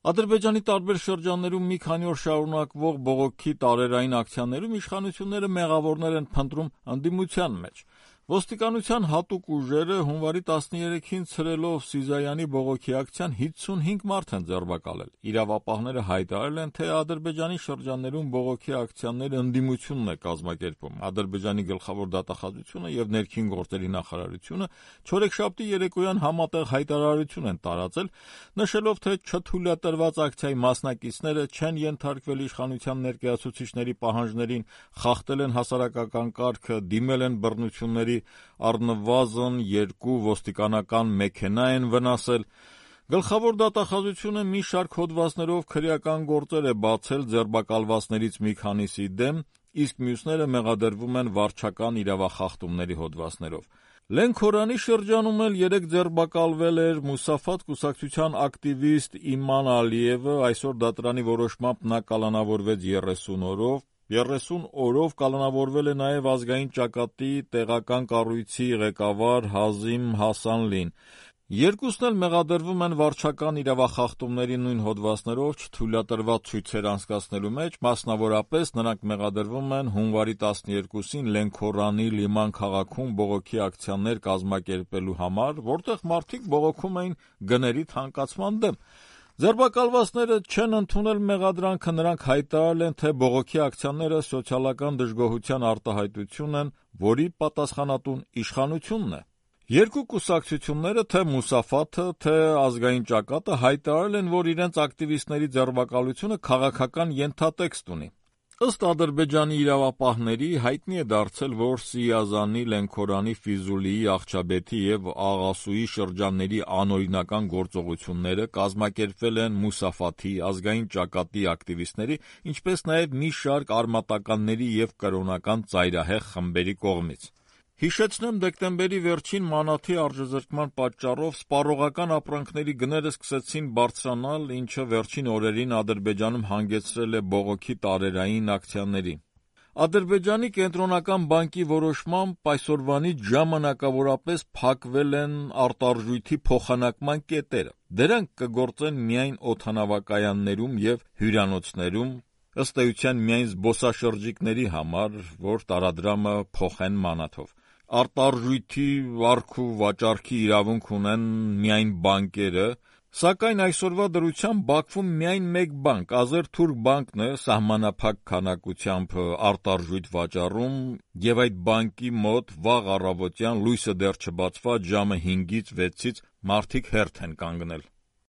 Ադրբեջանի տարբեր շրջաններում մի քանի օր շարունակվող բողոքի տարերային ակցիաներում իշխանությունները մեղավորներ են փնտրում ընդդիմության մեջ։ Ոստիկանության հատուկ ուժերը հունվարի 13-ին ցրելով Սիզայանի բողոքի ակցիան 55 մարդ են ձերբակալել։ Իրավապահները հայտարարել են, թե Ադրբեջանի շրջաններում բողոքի ակցիաները ընդդիմությունն է կազմակերպում։ Ադրբեջանի գլխավոր դատախազությունը եւ ներքին գործերի նախարարությունը չորեքշաբթի երեկոյան համատեղ հայտարարություն են տարածել, նշելով, թե չթույլատրված ակցիայի մասնակիցները չեն ենթարկվել իշխանության ներկայացուցիչների պահանջներին, խախտել են հասարակական կարգը, դիմել են բռնությունների, առնվազն 2 ոստիկանական մեքենա են վնասել։ Գլխավոր դատախազությունը մի շարք հոդվածներով քրեական գործեր է բացել ձերբակալվածներից մի քանիսի դեմ, իսկ մյուսները մեղադրվում են վարչական իրավախախտումների հոդվածներով։ Լենքորանի շրջանում էլ 3 ձերբակալվել էր Մուսաֆաթ կուսակցության ակտիվիստ Իման Ալիևը, այսօր դատարանի որոշմամբ նա կալանավորվեց 30 օրով։ 30 օրով կալանավորվել է նաև ազգային ճակատի տեղական կառույցի ղեկավար Հազիմ Հասանլին։ Երկուսն էլ մեղադրվում են վարչական իրավախախտումների նույն հոդվածներով չթույլատրված ցույցեր անցկացնելու մեջ, մասնավորապես նրանք մեղադրվում են հունվարի 12-ին Լենքորանի Լիման քաղաքում բողոքի ակցիաներ կազմակերպելու համար, որտեղ մարդիկ բողոքում էին գների թանկացման դեմ։ Ձերբակալվածները չեն ընդունել մեղադրանքը, նրանք հայտարարել են, թե բողոքի ակցիաները սոցիալական դժգոհության արտահայտություն են, որի պատասխանատուն իշխանությունն է։ Երկու կուսակցությունները, թե Մուսաֆաթը, թե ազգային ճակատը, հայտարարել են, որ իրենց ակտիվիստների ձերբակալությունը քաղաքական ենթատեքստ ունի։ Ըստ Ադրբեջանի իրավապահների, հայտնի է դարձել, որ Սիազանի, Լենքորանի, Ֆիզուլիի, Աղջաբեթի եւ Աղասուի շրջանների անօրինական գործողությունները կազմակերպվել են Մուսաֆաթի, ազգային ճակատի ակտիվիստների, ինչպես նաեւ մի շարք արմատականների եւ կրոնական ծայրահեղ խմբերի կողմից։ Հիշեցնեմ, դեկտեմբերի վերջին մանաթի արժեզրկման պատճառով սպառողական ապրանքների գները սկսեցին բարձրանալ, ինչը վերջին օրերին Ադրբեջանում հանգեցրել է բողոքի տարերային ակցիաների։ Ադրբեջանի կենտրոնական բանկի որոշմամբ այսօրվանից ժամանակավորապես փակվել են արտարժույթի փոխանակման կետերը։ Դրանք կգործեն միայն օդանավակայաններում եւ հյուրանոցներում, ըստ էության միայն զբոսաշրջիկների համար, որ տարադրամը փոխեն մանաթով։ Արտարժույթի վարք ու վաճառքի իրավունք ունեն միայն բանկերը, սակայն այսօրվա դրությամբ Բաքվում միայն մեկ բանկ, Ազերթուրք բանկն է սահմանափակ քանակությամբ արտարժույթ վաճառում, եւ այդ բանկի մոտ վաղ առավոտյան լույսը դեռ չբացված ժամը 5-ից 6-ից մարդիկ հերթ են կանգնել։